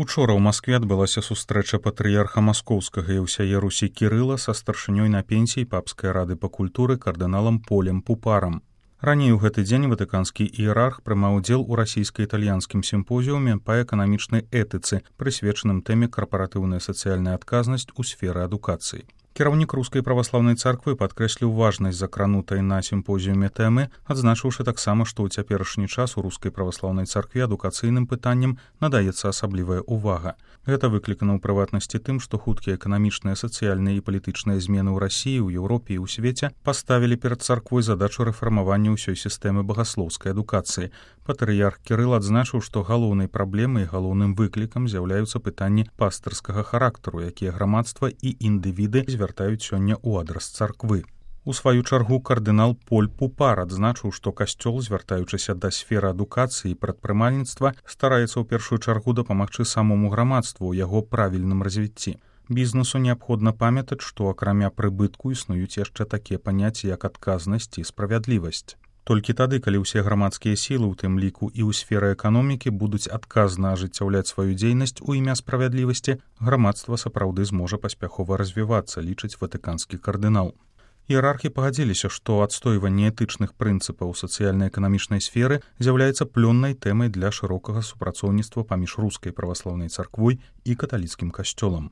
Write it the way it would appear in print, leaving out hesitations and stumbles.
Учора ў Маскве адбылася сустрэча патрыярха маскоўскага і ўсяе Русі Кірыла са старшынёй на пенсіі папскай рады па культуры кардыналам Полем Пупарам. Раней у гэты дзень ватыканскі іерарх прымаў удзел у расійска-італьянскім сімпозіуме па эканамічнай этыцы, прысвечаным тэме карпаратыўная сацыяльная адказнасць у сферы адукацыі. Кіраўнік рускай праваслаўнай царквы падкрэсліў важнасць закранутай на сімпозіуме тэмы, адзначыўшы таксама, што ў цяперашні час у рускай праваслаўнай царкве адукацыйным пытанням надаецца асаблівая ўвага. Гэта выклікана ў прыватнасці тым, што хуткія эканамічныя, сацыяльныя і палітычныя змены ў Расіі, у Еўропе і ў свеце паставілі перад царквой задачу рэфармавання ўсёй сістэмы багаслоўскай адукацыі. Патрыярх Кірыл адзначыў, што галоўнай праблемай і галоўным выклікам з'яўляюцца пытанні пастырскага характару, якія грамадства і індывіды звяртаюць сёння ў адрас царквы. У сваю чаргу кардынал Поль Пупар адзначыў, што касцёл, звяртаючыся да сферы адукацыі і прадпрымальніцтва, стараецца ў першую чаргу дапамагчы самому грамадству ў яго правільным развіцці. Бізнесу неабходна памятаць, што акрамя прыбытку існуюць яшчэ такія паняцці, як адказнасць і справядлівасць. Толькі тады, калі ўсе грамадскія сілы, у тым ліку і ў сферы эканомікі, будуць адказна ажыццяўляць сваю дзейнасць у імя справядлівасці, грамадства сапраўды зможа паспяхова развівацца, лічыць ватыканскі кардынал. Іерархі пагадзіліся, што адстойванне этычных прынцыпаў сацыяльна-эканамічнай сферы з'яўляецца плённай тэмай для шырокага супрацоўніцтва паміж рускай праваслаўнай царквой і каталіцкім касцёлам.